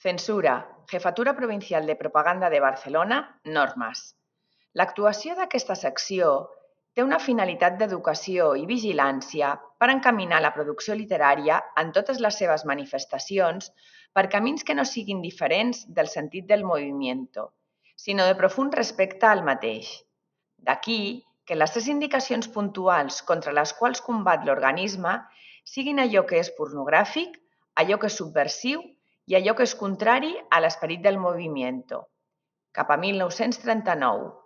Censura, Jefatura Provincial de Propaganda de Barcelona, normes. L'actuació d'aquesta secció té una finalitat d'educació i vigilància per encaminar la producció literària en totes les seves manifestacions per camins que no siguin diferents del sentit del movimiento, sinó de profund respecte al mateix. D'aquí que les 3 indicacions puntuals contra les quals combat l'organisme siguin allò que és pornogràfic, allò que és subversiu i allò que és contrari a l'esperit del movimiento. Cap a 1939.